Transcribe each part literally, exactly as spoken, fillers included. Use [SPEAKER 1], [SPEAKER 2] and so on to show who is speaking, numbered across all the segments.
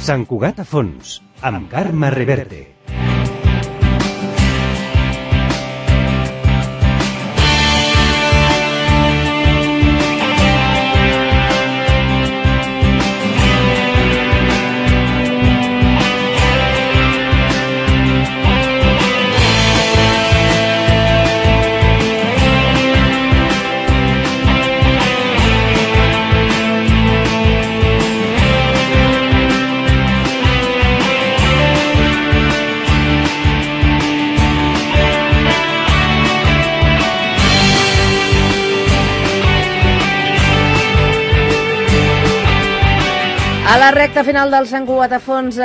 [SPEAKER 1] Sant Cugat a fons, amb Carme Reverte.
[SPEAKER 2] A la recta final del Sant Cugat a fons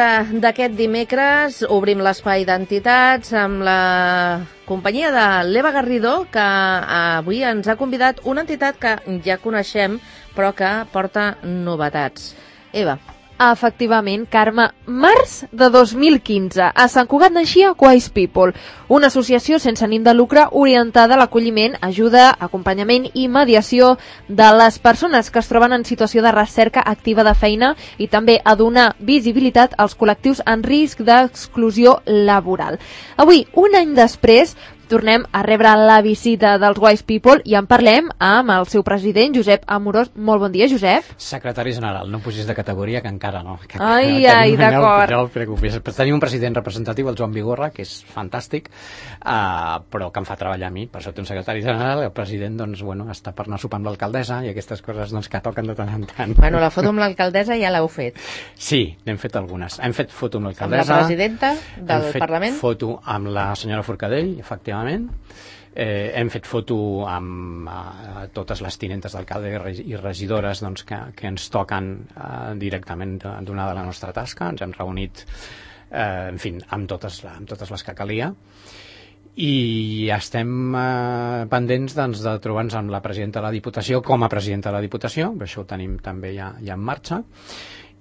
[SPEAKER 2] d'aquest dimecres obrim l'espai d'entitats amb la companyia de l'Eva Garrido, que avui ens ha convidat una entitat que ja coneixem però que porta novetats. Eva.
[SPEAKER 3] Efectivament, Carme, març de dos mil quinze, a Sant Cugat naixia Wise People, una associació sense ànim de lucre orientada a l'acolliment, ajuda, acompanyament i mediació de les persones que es troben en situació de recerca activa de feina i també a donar visibilitat als col·lectius en risc d'exclusió laboral. Avui, un any després, tornem a rebre la visita dels Wise People i en parlem amb el seu president, Josep Amorós. Molt bon dia, Josep.
[SPEAKER 4] Secretari general, no pusis de categoria, que encara no. Que,
[SPEAKER 3] ai,
[SPEAKER 4] que
[SPEAKER 3] ai, d'acord.
[SPEAKER 4] No, no preocupis. Tenim un president representatiu, el Joan Vigorra, que és fantàstic, uh, però que em fa treballar a mi. Per això té un secretari general, el president doncs, bueno, està per anar a sopar amb l'alcaldessa i aquestes coses doncs, que toquen de tant en tant.
[SPEAKER 2] Bueno, la foto amb l'alcaldessa ja l'heu fet.
[SPEAKER 4] Sí, n'hem fet algunes. Hem fet foto amb l'alcaldessa.
[SPEAKER 2] Amb la presidenta del
[SPEAKER 4] hem fet
[SPEAKER 2] Parlament.
[SPEAKER 4] Foto amb la senyora Forcadell, efectivament. Eh, hem fet foto amb eh, totes les tinentes d'alcalde i regidores doncs, que, que ens toquen eh, directament d'una de la nostra tasca. Ens hem reunit eh, en fi, amb totes, amb totes les que calia i estem eh, pendents doncs, de trobar-nos amb la presidenta de la Diputació com a presidenta de la Diputació, això ho tenim també ja, ja en marxa,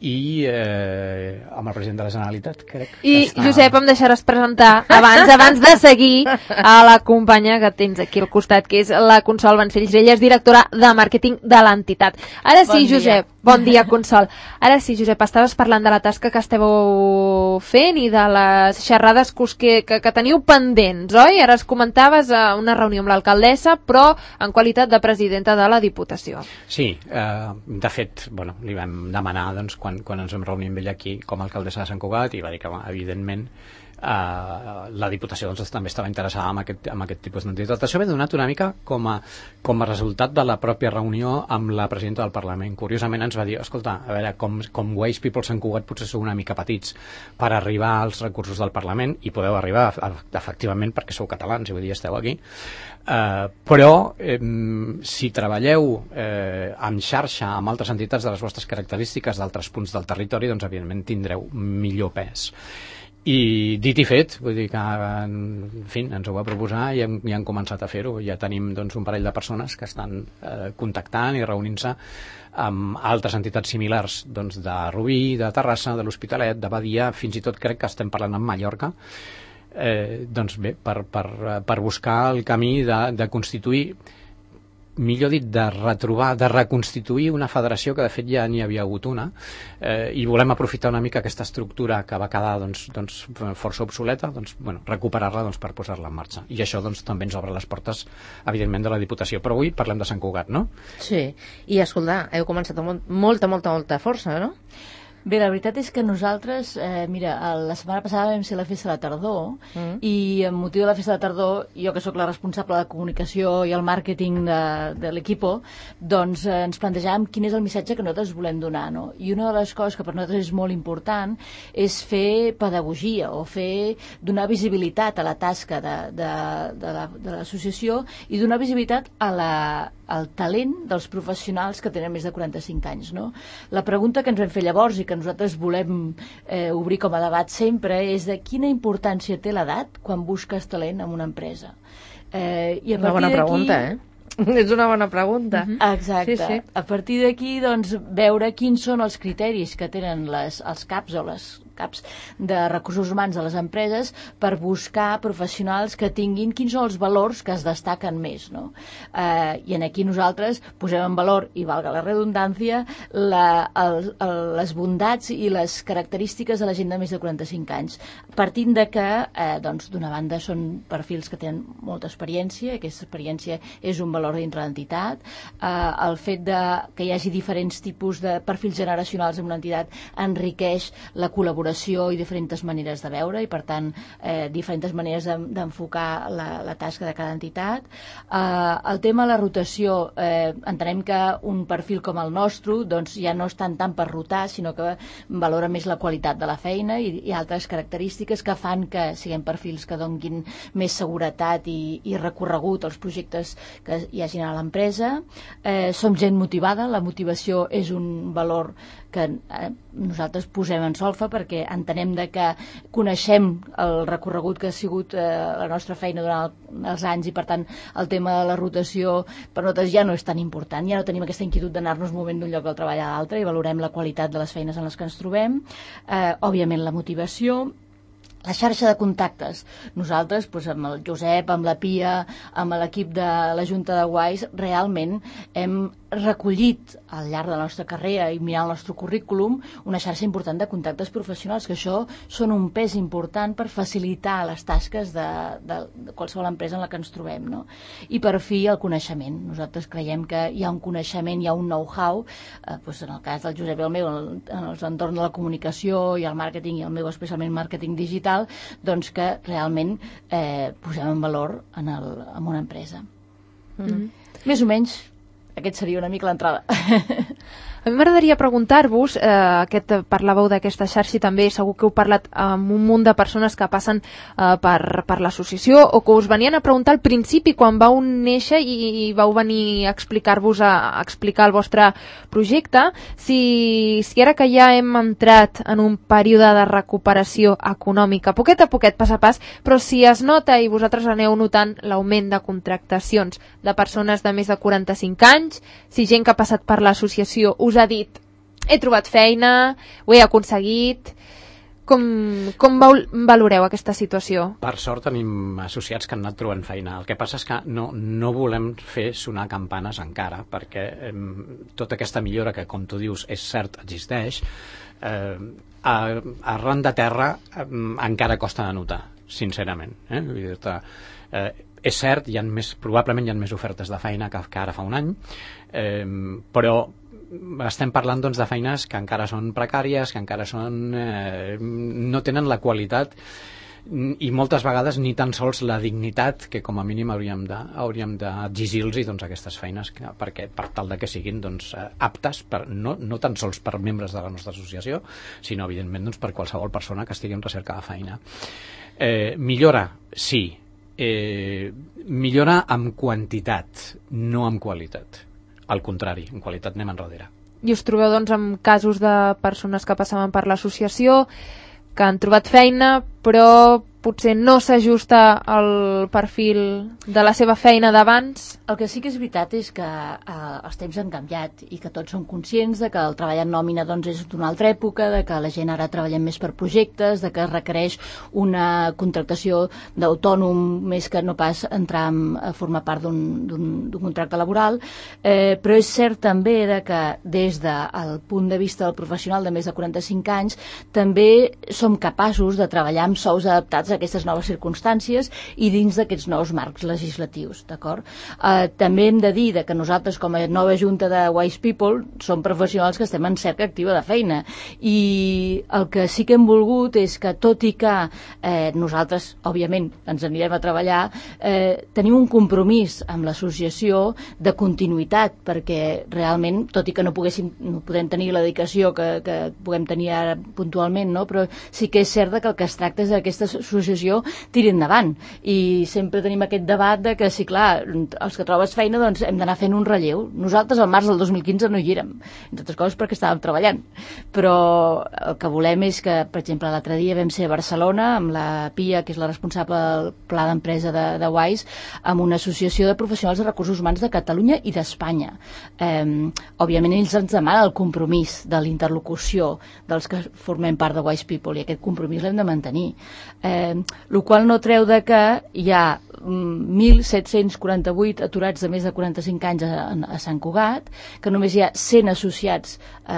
[SPEAKER 4] i eh, amb el president de la Generalitat, crec.
[SPEAKER 3] I,
[SPEAKER 4] està...
[SPEAKER 3] Josep, em deixaràs presentar abans abans de seguir a la companya que tens aquí al costat, que és la Consol Vancells. Ella és directora de màrqueting de l'entitat. Ara sí, bon Josep. Dia. Bon dia, Consol. Ara sí, Josep, estaves parlant de la tasca que esteu fent i de les xerrades que, que, que teniu pendents, oi? Ara es comentaves a una reunió amb l'alcaldessa, però en qualitat de presidenta de la Diputació.
[SPEAKER 4] Sí, eh, de fet, bueno, li vam demanar, doncs, quan quan ens vam reunir amb ella aquí com a alcaldessa de Sant Cugat i va dir que, evidentment, Uh, la Diputació doncs, també estava interessada en aquest, en aquest tipus d'entitat. Això ve donat una mica com a, com a resultat de la pròpia reunió amb la presidenta del Parlament. Curiosament ens va dir, escolta, a veure, com, com Wise People Sant Cugat potser sou una mica petits per arribar als recursos del Parlament, i podeu arribar efectivament perquè sou catalans i vull dir, esteu aquí, uh, però eh, si treballeu eh, en xarxa amb altres entitats de les vostres característiques d'altres punts del territori, doncs evidentment tindreu millor pes. I dit i fet, vull dir que en fi, ens ho va proposar i hem, ja hem començat a fer-ho. Ja tenim doncs, un parell de persones que estan eh, contactant i reunint-se amb altres entitats similars doncs, de Rubí, de Terrassa, de l'Hospitalet, de Badia, fins i tot crec que estem parlant amb Mallorca. Eh, doncs bé, per, per, per buscar el camí de, de constituir, millor dit, de retrobar, de reconstituir una federació que de fet ja n'hi havia hagut una, eh, i volem aprofitar una mica aquesta estructura que va quedar doncs, doncs, força obsoleta, doncs, bueno, recuperar-la doncs, per posar-la en marxa. I això doncs, també ens obre les portes, evidentment, de la Diputació. Però avui parlem de Sant Cugat, no?
[SPEAKER 2] Sí, i escolta, heu començat amb molta, molta, molta força, no?
[SPEAKER 5] Bé, la veritat és que nosaltres, eh, mira, la setmana passada vam ser la festa de la tardor mm. i amb motiu de la festa de la tardor, jo que sóc la responsable de comunicació i el màrqueting de, de l'equipo, doncs eh, ens plantejàvem quin és el missatge que nosaltres volem donar, no? I una de les coses que per nosaltres és molt important és fer pedagogia o fer, donar visibilitat a la tasca de, de, de, la, de l'associació i donar visibilitat a la, al talent dels professionals que tenen més de quaranta-cinc anys, no? La pregunta que ens vam fer llavors i que nosaltres volem eh, obrir com a debat sempre és de quina importància té l'edat quan busques talent en una empresa. Eh, i a
[SPEAKER 2] una bona pregunta, eh? És una bona pregunta.
[SPEAKER 5] Uh-huh. Exacte. Sí, sí. A partir d'aquí, doncs, veure quins són els criteris que tenen les, els caps o les caps de recursos humans de les empreses per buscar professionals que tinguin quins són els valors que es destaquen més, no? Eh, I en aquí nosaltres posem en valor, i valga la redundància, la, el, el, les bondats i les característiques de la gent de més de quaranta-cinc anys, partint de que, eh, doncs, d'una banda són perfils que tenen molta experiència, aquesta experiència és un valor dintre l'entitat, eh, el fet de que hi hagi diferents tipus de perfils generacionals en una entitat enriqueix la col·laboració i diferents maneres de veure i, per tant, eh, diferents maneres d'enfocar la, la tasca de cada entitat. Eh, el tema de la rotació, eh, entenem que un perfil com el nostre doncs, ja no és tant, tant per rotar, sinó que valora més la qualitat de la feina i, i altres característiques que fan que siguem perfils que donguin més seguretat i, i recorregut als projectes que hi hagin a l'empresa. Eh, som gent motivada, la motivació és un valor que eh, nosaltres posem en solfa perquè entenem de que coneixem el recorregut que ha sigut eh, la nostra feina durant el, els anys i, per tant, el tema de la rotació per nosaltres ja no és tan important, ja no tenim aquesta inquietud d'anar-nos movent d'un lloc al treball a l'altre i valorem la qualitat de les feines en les que ens trobem. Eh, òbviament, la motivació. La xarxa de contactes. Nosaltres, doncs, amb el Josep, amb la Pia, amb l'equip de la Junta de Guais, realment hem recollit al llarg de la nostra carrera i mirant el nostre currículum una xarxa important de contactes professionals, que això són un pes important per facilitar les tasques de, de, de qualsevol empresa en la que ens trobem, no? I per fi el coneixement. Nosaltres creiem que hi ha un coneixement, hi ha un know-how, eh, doncs en el cas del Josep i el meu, en, en els entorns de la comunicació i el màrqueting, i el meu especialment màrqueting digital, doncs que realment eh, posem en valor en, el, en una empresa. Mm-hmm. Més o menys aquest seria una mica l'entrada.
[SPEAKER 3] A mi m'agradaria preguntar-vos, eh, aquest, parlàveu d'aquesta xarxa i també segur que heu parlat amb un munt de persones que passen eh, per, per l'associació o que us venien a preguntar al principi quan vau néixer i, i vau venir a explicar-vos, a, a explicar el vostre projecte, si, si ara que ja hem entrat en un període de recuperació econòmica, poquet a poquet, pas a pas, però si es nota i vosaltres aneu notant l'augment de contractacions de persones de més de quaranta-cinc anys, si gent que ha passat per l'associació us ha dit, he trobat feina, ho he aconseguit, com, com valoreu aquesta situació?
[SPEAKER 4] Per sort tenim associats que han anat trobant feina. El que passa és que no, no volem fer sonar campanes encara, perquè eh, tota aquesta millora que, com tu dius, és cert, existeix, eh, a, arran de terra eh, encara costa de notar, sincerament. Eh? Vull dir-te, eh, és cert, hi ha més, probablement hi ha més ofertes de feina que, que ara fa un any, eh, però estem parlant, doncs, de feines que encara són precàries, que encara són, eh, no tenen la qualitat i moltes vegades ni tan sols la dignitat que com a mínim hauríem de, hauríem d'exigir-los, doncs, aquestes feines, que, perquè, per tal de que siguin, doncs, aptes, per, no, no tan sols per membres de la nostra associació, sinó evidentment, doncs, per qualsevol persona que estigui en recerca de feina. Eh, millora, sí. Eh, millora amb quantitat, no amb qualitat. Al contrari, en qualitat anem enrere.
[SPEAKER 3] I us trobeu, doncs, amb casos de persones que passaven per l'associació, que han trobat feina, però potser no s'ajusta al perfil de la seva feina d'abans?
[SPEAKER 5] El que sí que és veritat és que eh, els temps han canviat i que tots som conscients de que el treball en nòmina, doncs, és d'una altra època, de que la gent ara treballem més per projectes, de que es requereix una contractació d'autònom més que no pas entrar a formar part d'un contracte laboral, eh, però és cert també de que des del punt de vista del professional de més de quaranta-cinc anys també som capaços de treballar amb sous adaptats a aquestes noves circumstàncies i dins d'aquests nous marcs legislatius, d'acord? Eh, també hem de dir de que nosaltres, com a nova junta de Wise People, som professionals que estem en cerca activa de feina i el que sí que hem volgut és que, tot i que eh, nosaltres, òbviament, ens anirem a treballar, eh, tenim un compromís amb l'associació de continuïtat, perquè realment, tot i que no, poguéssim, no podem tenir la dedicació que, que puguem tenir ara puntualment, no? Però sí que és cert que el que es tracta és d'aquesta associació l'associació tiri endavant. I sempre tenim aquest debat de que, sí, clar, els que trobes feina doncs hem d'anar fent un relleu. Nosaltres al març del dos mil quinze no hi érem, entre altres coses perquè estàvem treballant. Però el que volem és que, per exemple, l'altre dia vam ser a Barcelona amb la Pia, que és la responsable del pla d'empresa de, de Wise, amb una associació de professionals de recursos humans de Catalunya i d'Espanya. Eh, òbviament ells ens demanen el compromís de l'interlocució dels que formem part de Wise People, i aquest compromís l'hem de mantenir. Eh, el qual no treu de que hi ha mil set-cents quaranta-vuit aturats de més de quaranta-cinc anys a, a Sant Cugat, que només hi ha cent associats eh,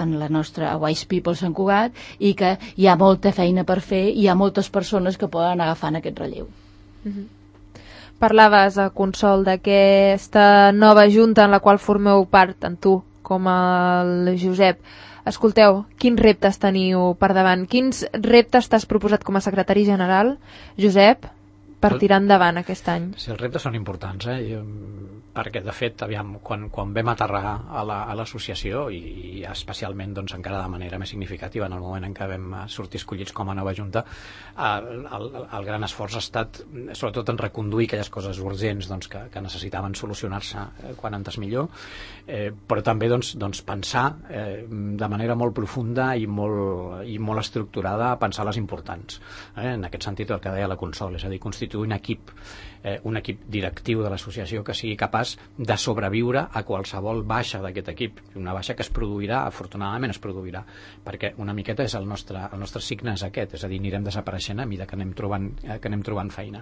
[SPEAKER 5] en la nostra Wise People Sant Cugat, i que hi ha molta feina per fer i hi ha moltes persones que poden anar agafant aquest relleu.
[SPEAKER 3] Mm-hmm. Parlaves, a Consol, d'aquesta nova junta en la qual formeu part, tant tu com el Josep. Escolteu, quins reptes teniu per davant? Quins reptes t'has proposat com a secretari general, Josep, per tirar endavant aquest any?
[SPEAKER 4] Sí, els reptes són importants, eh? I, perquè, de fet, aviam, quan, quan vam aterrar a l'associació, la, i, i especialment doncs, encara de manera més significativa en el moment en què vam sortir escollits com a nova junta, el, el, el gran esforç ha estat sobretot en reconduir aquelles coses urgents doncs, que, que necessitaven solucionar-se quan antes millor, eh, però també doncs, doncs, pensar eh, de manera molt profunda i molt, i molt estructurada, pensar les importants. Eh? En aquest sentit, el que deia la Consol, és a dir, constituir un equip, eh, un equip directiu de l'associació que sigui capaç de sobreviure a qualsevol baixa d'aquest equip, una baixa que es produirà, afortunadament es produirà, perquè una miqueta és el nostre, el nostre signe és aquest, és a dir, anirem desapareixent a mesura que anem trobant, que anem trobant feina.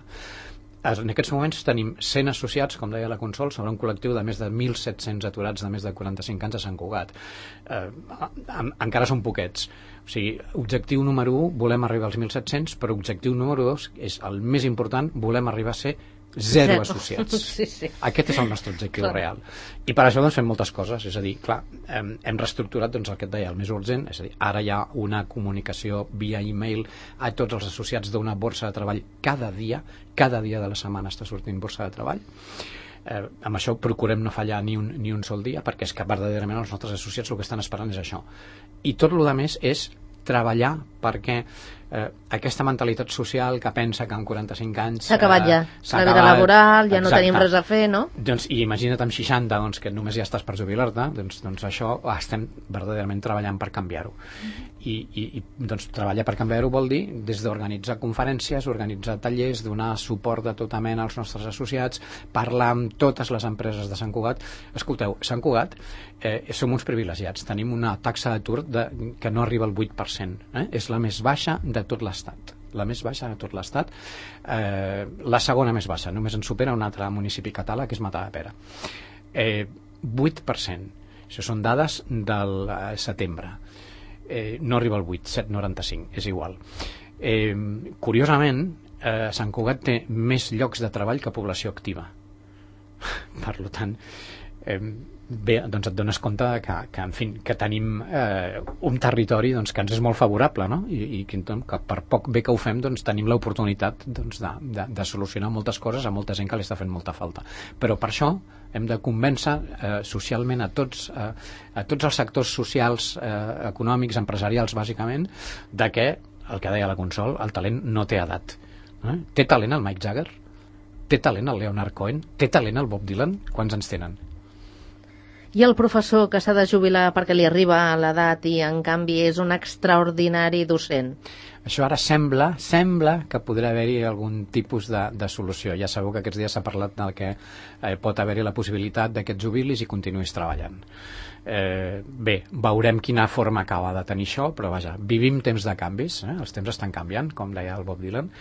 [SPEAKER 4] En aquests moments tenim cent associats, com deia la Consol, sobre un col·lectiu de més de mil set-cents aturats de més de quaranta-cinc anys a Sant Cugat. Eh, encara són poquets. O sigui, objectiu número u, volem arribar als mil set-cents, però objectiu número dos, és el més important, volem arribar a ser zero, zero associats.
[SPEAKER 2] Sí, sí.
[SPEAKER 4] Aquest és el nostre objectiu
[SPEAKER 2] clar.
[SPEAKER 4] real. I per això doncs, fem moltes coses. És a dir, clar, hem, hem reestructurat doncs, el que et deia, el més urgent. És a dir, ara hi ha una comunicació via e-mail a tots els associats d'una borsa de treball cada dia. Cada dia de la setmana està sortint borsa de treball. Eh, amb això procurem no fallar ni un, ni un sol dia, perquè és que verdaderament els nostres associats el que estan esperant és això. I tot el que més és treballar perquè eh, aquesta mentalitat social que pensa que amb quaranta-cinc anys
[SPEAKER 2] s'ha acabat ja,
[SPEAKER 4] eh,
[SPEAKER 2] la vida laboral, ja
[SPEAKER 4] exacte.
[SPEAKER 2] No tenim res a fer, no?
[SPEAKER 4] Doncs, i imagina't amb seixanta doncs, que només ja estàs per jubilar-te, doncs, doncs això estem verdaderament treballant per canviar-ho. I, i, i doncs, treballar per canviar-ho vol dir des d'organitzar conferències, organitzar tallers, donar suport de tota mena als nostres associats, parlar amb totes les empreses de Sant Cugat. Escolteu, Sant Cugat eh, som uns privilegiats, tenim una taxa d'atur de, que no arriba al vuit per cent, eh? És la més baixa de tot l'Estat, la més baixa de tot l'Estat, eh, la segona més baixa, només en supera un altre municipi català que és Matadepera. Eh, vuit per cent, això són dades del eh, setembre, eh, no arriba al vuit, set coma noranta-cinc, és igual. Eh, curiosament, eh, Sant Cugat té més llocs de treball que població activa. Per tant, eh, bé, doncs et dones compte que, que, en fi, que tenim eh, un territori doncs, que ens és molt favorable, no? I, i que, que per poc bé que ho fem doncs, tenim l'oportunitat doncs, de, de, de solucionar moltes coses a molta gent que li està fent molta falta. Però per això hem de convèncer eh, socialment a tots, eh, a tots els sectors socials, eh, econòmics, empresarials, bàsicament, de que, el que deia la Consol, el talent no té edat. Eh? Té talent el Mick Jagger? Té talent el Leonard Cohen? Té talent el Bob Dylan? Quants anys tenen?
[SPEAKER 2] I el professor que s'ha de jubilar perquè li arriba a l'edat i en canvi és un extraordinari docent?
[SPEAKER 4] Això ara sembla, sembla que podrà haver-hi algun tipus de, de solució. Ja sabeu que aquests dies s'ha parlat del que eh, pot haver-hi la possibilitat de que et jubilis i continuïs treballant. Eh, bé, veurem quina forma acaba de tenir això, però vaja, vivim temps de canvis, eh? Els temps estan canviant, com deia el Bob Dylan.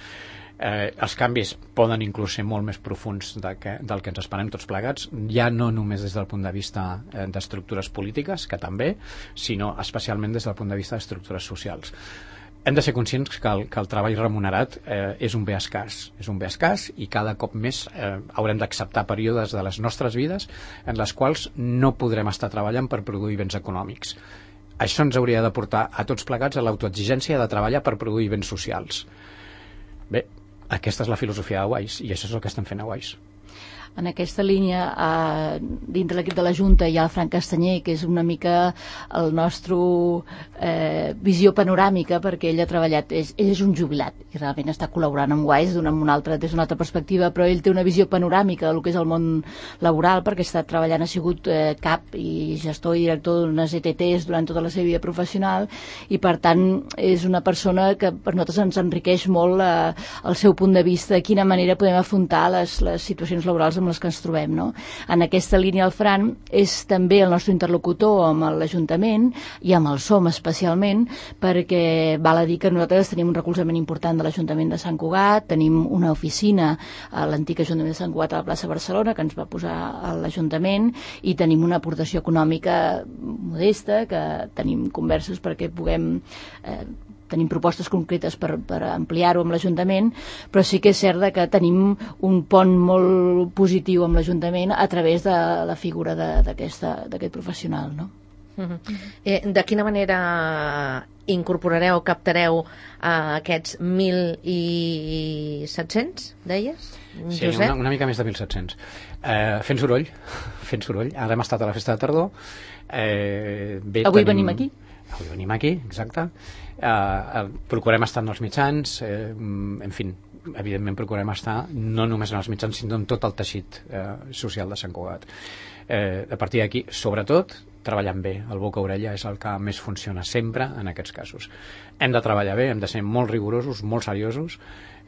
[SPEAKER 4] Eh, els canvis poden inclús ser molt més profuns de que, del que ens esperem tots plegats, ja no només des del punt de vista eh, d'estructures polítiques, que també, sinó especialment des del punt de vista d'estructures socials. Hem de ser conscients que el, que el treball remunerat eh, és un bé escàs, és un bé escàs i cada cop més eh, haurem d'acceptar períodes de les nostres vides en les quals no podrem estar treballant per produir béns econòmics. Això ens hauria de portar a tots plegats a l'autoexigència de treballar per produir béns socials. Bé, aquesta és la filosofia de Wise i això és el que estem fent a Wise.
[SPEAKER 5] En aquesta línia, eh, dintre l'equip de la Junta hi ha el Frank Castanyer, que és una mica el nostre eh, visió panoràmica, perquè ell ha treballat, és, ell és un jubilat i realment està col·laborant amb Wise d'una una altra, des d'una altra perspectiva, però ell té una visió panoràmica del que és el món laboral, perquè està treballant, ha sigut eh, cap i gestor i director d'unes E T Ts durant tota la seva vida professional, i per tant és una persona que per nosaltres ens enriqueix molt eh, el seu punt de vista de quina manera podem afrontar les, les situacions laborals amb les que ens trobem, no? En aquesta línia el Fran és també el nostre interlocutor amb l'Ajuntament i amb el S O M especialment, perquè val a dir que nosaltres tenim un recolzament important de l'Ajuntament de Sant Cugat, tenim una oficina a l'antic Ajuntament de Sant Cugat a la plaça Barcelona que ens va posar a l'Ajuntament, i tenim una aportació econòmica modesta, que tenim converses perquè puguem eh, tenim propostes concretes per, per ampliar-ho amb l'Ajuntament, però sí que és cert que tenim un pont molt positiu amb l'Ajuntament a través de la figura d'aquest professional, no?
[SPEAKER 2] Uh-huh. eh, de quina manera incorporareu, captareu a aquests mil set-cents, deies?
[SPEAKER 4] Sí, una, una mica més de mil set-cents. Eh, fent soroll, fent soroll. Ara hem estat a la festa de tardor. Eh, bé,
[SPEAKER 5] Avui
[SPEAKER 4] tenim...
[SPEAKER 5] venim aquí.
[SPEAKER 4] Avui venim aquí, exacte. Eh, eh, procurem estar en els mitjans, eh, en fi, evidentment procurem estar no només en els mitjans, sinó en tot el teixit eh, social de Sant Cugat. Eh, a partir d'aquí, sobretot, treballant bé. El boca-orella és el que més funciona sempre en aquests casos. Hem de treballar bé, hem de ser molt rigorosos, molt seriosos,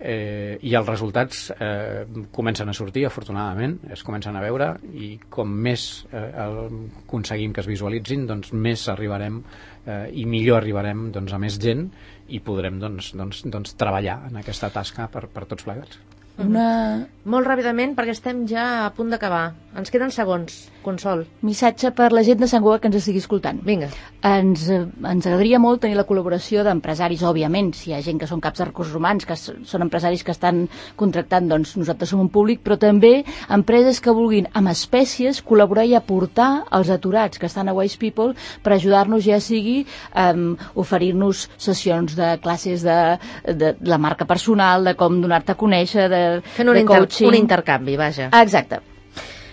[SPEAKER 4] eh, i els resultats eh, comencen a sortir, afortunadament, es comencen a veure, i com més eh, el, aconseguim que es visualitzin, doncs més arribarem eh, i millor arribarem doncs, a més gent, i podrem doncs, doncs, doncs, treballar en aquesta tasca per, per tots plegats.
[SPEAKER 5] Una...
[SPEAKER 2] Molt ràpidament, perquè estem ja a punt d'acabar. Ens queden segons, Consol.
[SPEAKER 5] Missatge per la gent de Sant Cugat que ens estigui escoltant.
[SPEAKER 2] Vinga.
[SPEAKER 5] Ens, ens agradaria molt tenir la col·laboració d'empresaris, òbviament. Si hi ha gent que són caps de recursos humans, que són empresaris que estan contractant, doncs nosaltres som un públic, però també empreses que vulguin, amb espècies, col·laborar i aportar als aturats que estan a Wise People per ajudar-nos, ja sigui um, oferir-nos sessions de classes de, de, de la marca personal, de com donar-te a conèixer, de
[SPEAKER 2] fent un, inter un intercanvi, vaja.
[SPEAKER 5] Exacte.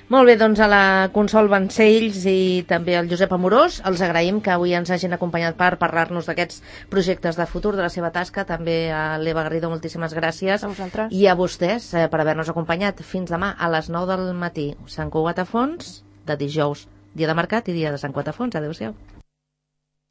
[SPEAKER 2] Molt bé, doncs a la Consol Vancells i també al Josep Amorós els agraïm que avui ens hagin acompanyat per parlar-nos d'aquests projectes de futur, de la seva tasca. També a l'Eva Garrido, moltíssimes gràcies.
[SPEAKER 3] A vosaltres.
[SPEAKER 2] I a vostès eh, per haver-nos acompanyat. Fins demà a les nou del matí. Sant Cugat a fons, de dijous, dia de mercat i dia de Sant Cugat a fons. Adéu-siau.